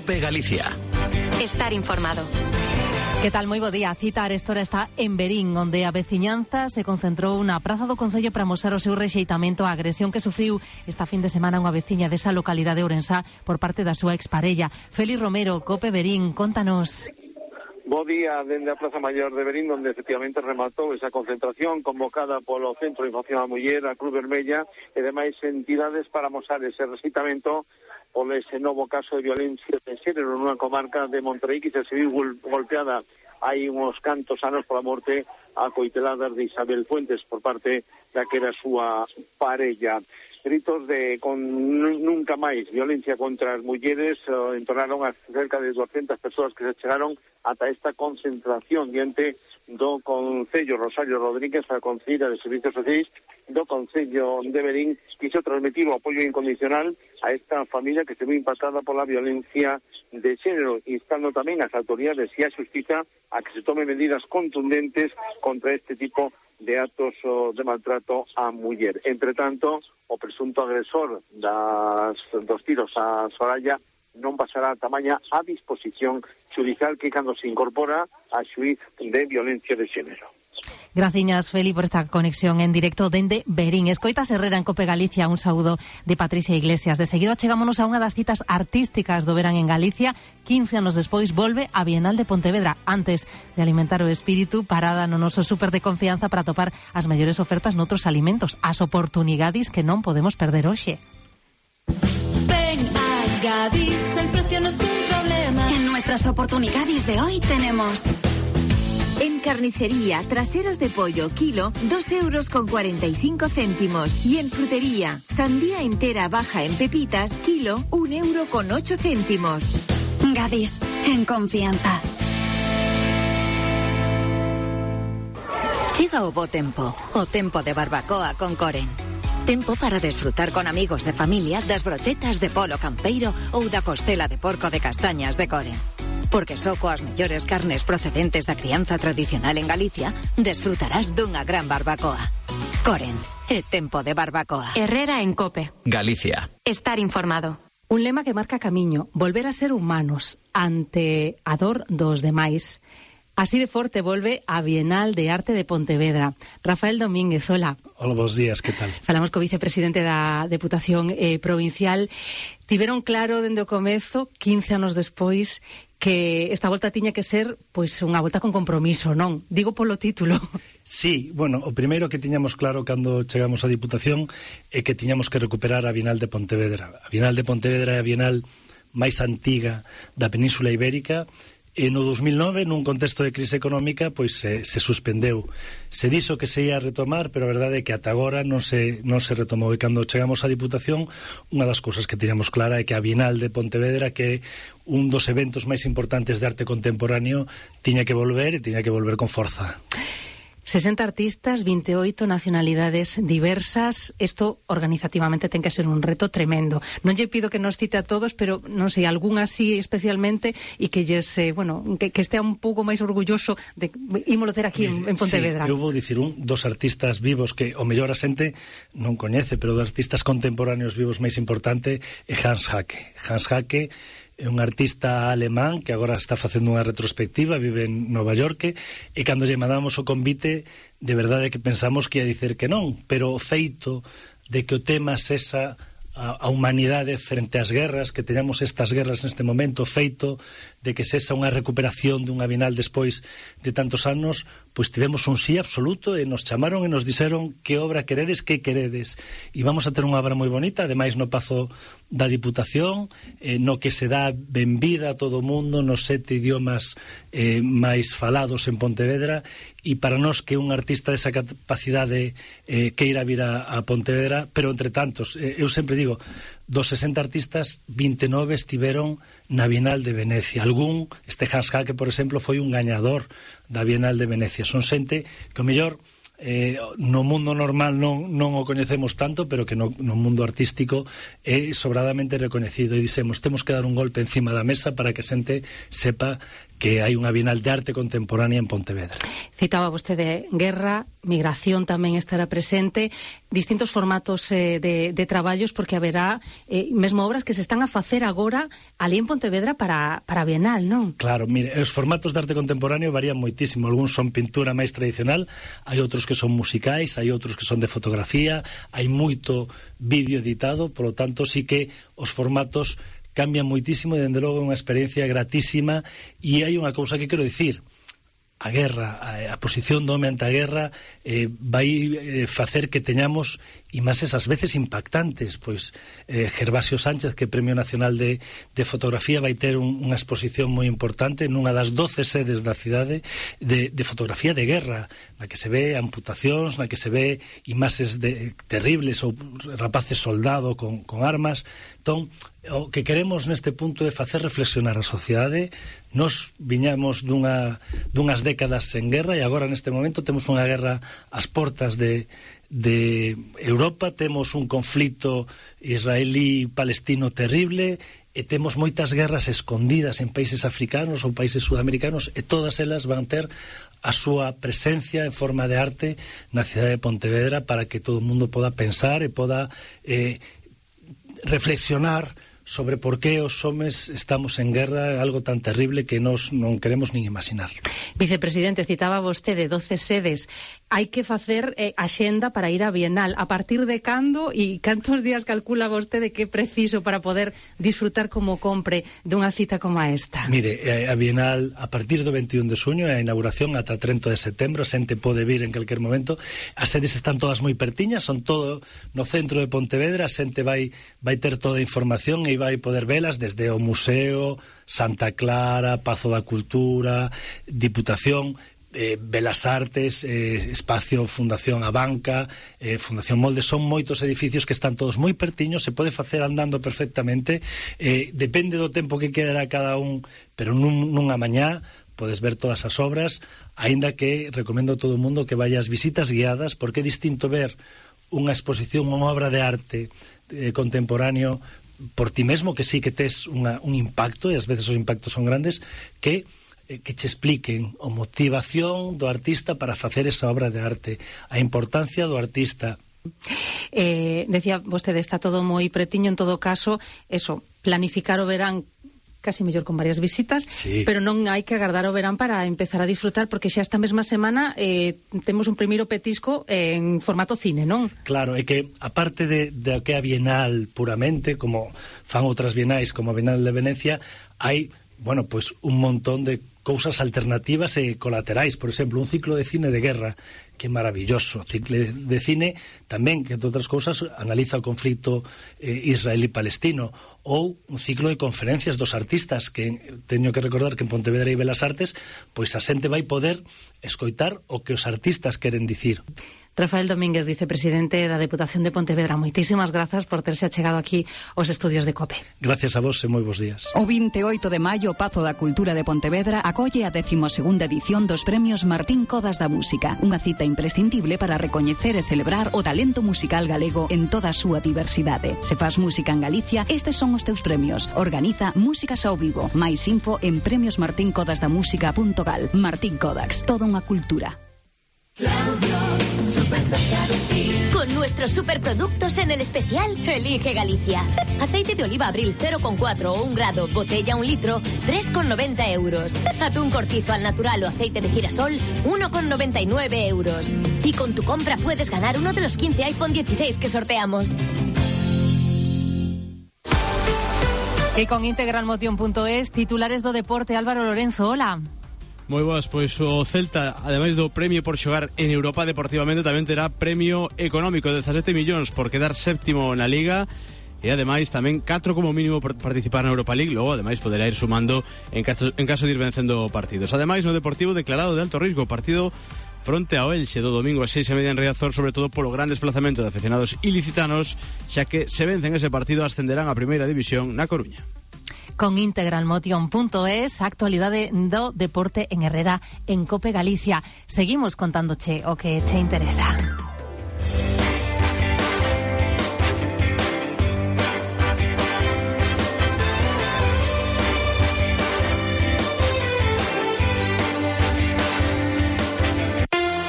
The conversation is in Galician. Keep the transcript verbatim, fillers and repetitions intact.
COPE Galicia. Estar informado. Que tal, moi bo día. A cita arestora está en Verín, onde a veciñanza se concentrou na praza do Concello para mostrar o seu rexeitamento á agresión que sufriu esta fin de semana unha veciña desa localidade ourensá por parte da súa exparella. Félix Romero, COPE Verín, contanos. Bo día dende a Praza Maior de Verín, onde efectivamente rematou esa concentración convocada polo Centro de Información á Muller, a Cruz Vermella e demais entidades para mostrar ese rexeitamento por ese novo caso de violencia de xénero nunha comarca de Monterrey que se viu golpeada hai uns cantos anos pola morte a coiteladas de Isabel Fuentes por parte da que era a súa parella. Gritos de con nunca máis violencia contra as mulleres uh, entonaron a cerca de doscientas persoas que se chegaron ata esta concentración diante do Concello. Rosario Rodríguez, a Concelleira de Servicios Sociais do Concello de Verín, quiso transmitir o apoio incondicional a esta familia que se ve impactada pola violencia de xénero, instando tamén as autoridades e a xustiza a que se tome medidas contundentes contra este tipo de actos de maltrato á muller. Entre tanto, o presunto agresor das, dos tiros a Soraya non pasará a tamaña a disposición judicial que cando se incorpora a xuíz de violencia de xénero. Graciñas, Feli, por esta conexión en directo dende Verín. Escoitas Herrera en COPE Galicia, un saúdo de Patricia Iglesias. De seguido chegámonos a unha das citas artísticas do verán en Galicia. quince anos despois volve a Bienal de Pontevedra. Antes de alimentar o espírito, parada no noso súper de confianza para topar as mellores ofertas noutros alimentos, as oportunidades que non podemos perder hoxe. Ven a Gadis, el precio no es un problema. En nuestras oportunidades de hoy tenemos... En carnicería, traseros de pollo, kilo, dos euros con cuarenta y cinco céntimos. Y en frutería, sandía entera baja en pepitas, kilo, un euro con ocho céntimos. Gadis, en confianza. Chega o bo tempo, o tempo de barbacoa con Coren. Tempo para desfrutar con amigos e familia das brochetas de polo campeiro ou da costela de porco de castañas de Coren. Porque só coas mellores carnes procedentes da crianza tradicional en Galicia desfrutarás dunha gran barbacoa. Coren, é tempo de barbacoa. Herrera en COPE Galicia. Estar informado. Un lema que marca camiño, volver a ser humanos ante a dor dos demais. Así de forte volve a Bienal de Arte de Pontevedra. Rafael Domínguez, hola. Hola, bons días, que tal? Falamos co vicepresidente da Deputación eh, Provincial. Tiveron claro dende o comezo, quince anos despois, que esta volta tiña que ser pois unha volta con compromiso, non? Digo polo título. Sí, bueno, o primeiro que tiñamos claro cando chegamos á Diputación é que tiñamos que recuperar a Bienal de Pontevedra. A Bienal de Pontevedra é a Bienal máis antiga da Península Ibérica. E no dos mil nove, nun contexto de crise económica, pois se, se suspendeu. Se dixo que se ia retomar, pero a verdade é que ata agora non se, non se retomou. E cando chegamos á Diputación, unha das cousas que tiñamos clara é que a Bienal de Pontevedra, que é un dos eventos máis importantes de arte contemporáneo, tiña que volver e tiña que volver con forza. sesenta artistas, vinte e oito nacionalidades diversas. Isto organizativamente ten que ser un reto tremendo. Non lle pido que nos cite a todos, pero non sei, algún así especialmente e que lles, eh, bueno, que, que estea un pouco máis orgulloso de ímolo ter aquí en, en Pontevedra. Sí, eu vou dicir un dos artistas vivos que o mellor a xente non coñece, pero dos artistas contemporáneos vivos máis importante é Hans Haacke. Hans Haacke é un artista alemán que agora está facendo unha retrospectiva, vive en Nova York, e cando lle mandamos o convite, de verdade que pensamos que ia dicer que non, pero o feito de que o tema sesa a humanidade frente ás guerras, que teñamos estas guerras neste momento, feito de que sesa unha recuperación dunha Bienal despois de tantos anos, pois tivemos un sí absoluto e nos chamaron e nos dixeron que obra queredes, que queredes, e vamos a ter unha obra moi bonita, ademais no Pazo da Diputación, eh, no que se dá benvida a todo o mundo nos sete idiomas eh, máis falados en Pontevedra, e para nós que un artista desa capacidade eh, queira vir a, a Pontevedra, pero entre tantos, eh, eu sempre digo, dos sesenta artistas, vinte e nove estiveron na Bienal de Venecia. Algún, este Hans Haacke, por exemplo, foi un gañador da Bienal de Venecia. Son xente que o mellor eh, no mundo normal non, non o coñecemos tanto, pero que no, no mundo artístico é sobradamente recoñecido, e dixemos, temos que dar un golpe encima da mesa para que a xente sepa que hai unha Bienal de Arte Contemporánea en Pontevedra. Citaba vostede guerra, migración tamén estará presente, distintos formatos eh, de, de traballos, porque haberá eh, mesmo obras que se están a facer agora ali en Pontevedra para, para a Bienal, non? Claro, mire, os formatos de arte contemporáneo varían moitísimo. Algúns son pintura máis tradicional, hai outros que son musicais, hai outros que son de fotografía, hai moito vídeo editado, polo tanto, sí que os formatos cambian moitísimo e, dende logo, é unha experiencia gratísima. E hai unha cousa que quero dicir: a guerra, a, a posición do home ante a guerra eh, vai eh, facer que teñamos imaxes ás veces impactantes. Pois eh, Gervasio Sánchez, que é Premio Nacional de, de Fotografía, vai ter un, unha exposición moi importante nunha das doce sedes da cidade de, de fotografía de guerra, na que se ve amputacións, na que se ve imaxes de, terribles, ou rapaces soldado con, con armas. Entón, o que queremos neste punto é facer reflexionar a sociedade. Nos viñamos dunha, dunhas décadas sen guerra, e agora neste momento temos unha guerra ás portas de, de Europa, temos un conflito israelí-palestino terrible, e temos moitas guerras escondidas en países africanos ou países sudamericanos, e todas elas van ter a súa presencia en forma de arte na cidade de Pontevedra, para que todo o mundo poda pensar e poda eh, reflexionar sobre por que os homes estamos en guerra, algo tan terrible que nos non queremos nin imaginar. Vicepresidente, citaba vostede doce sedes. Hai que facer eh, axenda para ir á Bienal. A partir de cando e cantos días calcula vostede que é preciso para poder disfrutar como compre dunha cita como esta? Mire, a Bienal a partir do veintiún de xuño, a inauguración ata trinta de setembro, a xente pode vir en calquer momento. As sedes están todas moi pertiñas, son todo no centro de Pontevedra, a xente vai, vai ter toda a información e vai poder velas desde o Museo, Santa Clara, Pazo da Cultura, Diputación, eh, Belas Artes, eh, Espacio Fundación A Banca, eh, Fundación Molde. Son moitos edificios que están todos moi pertiños, se pode facer andando perfectamente, eh, depende do tempo que quedará cada un, pero nun, nunha mañá podes ver todas as obras, aínda que recomendo a todo o mundo que vaya ás visitas guiadas, porque é distinto ver unha exposición, unha obra de arte eh, contemporáneo por ti mesmo, que sí que tes unha, un impacto, e ás veces os impactos son grandes, que que che expliquen a motivación do artista para facer esa obra de arte, a importancia do artista. Eh, decía vostede, está todo moi pretiño, en todo caso, eso, planificar o verán casi mellor con varias visitas, sí, pero non hai que agardar o verán para empezar a disfrutar, porque xa esta mesma semana eh, temos un primeiro petisco en formato cine, non? Claro, é que aparte de, de que a Bienal puramente, como fan outras bienais como a Bienal de Venecia, hai, bueno, pois pues, un montón de cousas alternativas e colaterais. Por exemplo, un ciclo de cine de guerra, que é maravilloso. Ciclo de cine tamén, que, entre outras cousas, analiza o conflito eh, israelí-palestino. Ou un ciclo de conferencias dos artistas, que teño que recordar que en Pontevedra hai Belas Artes, pois a xente vai poder escoitar o que os artistas queren dicir. Rafael Domínguez, vicepresidente da Deputación de Pontevedra, moitísimas grazas por terse achegado aquí aos estudios de COPE. Gracias a vos e moi bons días. O vinte e oito de maio, o Pazo da Cultura de Pontevedra acolle a decimosegunda edición dos Premios Martín Codas da Música, unha cita imprescindible para recoñecer e celebrar o talento musical galego en toda a súa diversidade. Se faz música en Galicia, estes son os teus premios. Organiza Músicas ao Vivo. Mais info en premios martín codas da música punto gal. Martín Codax, toda unha cultura. Claudio, súper cerca de ti. Con nuestros superproductos en el especial Elige Galicia. Aceite de oliva Abril cero coma cuatro o un grado, botella un litro, tres coma noventa euros. Atún cortizo al natural o aceite de girasol, uno coma noventa y nueve euros. Y con tu compra puedes ganar uno de los quince iPhone dieciséis que sorteamos. E con integralmotion punto es, titulares do deporte, Álvaro Lorenzo, hola. Moi boas, pois o Celta, ademais do premio por xogar en Europa deportivamente, tamén terá premio económico de dezasete millóns por quedar séptimo na Liga, e ademais tamén catro como mínimo por participar na Europa League. Logo ademais poderá ir sumando en caso, en caso de ir vencendo partidos. Ademais no Deportivo declarado de alto risco, partido fronte ao Elxe do domingo a seis e media en Riazor, sobre todo polo gran desplazamento de aficionados ilicitanos, xa que se vencen ese partido ascenderán a Primeira División na Coruña. Con integralmotion punto es, actualidade do deporte en Herrera, en Cope Galicia. Seguimos contándoche o que che interesa.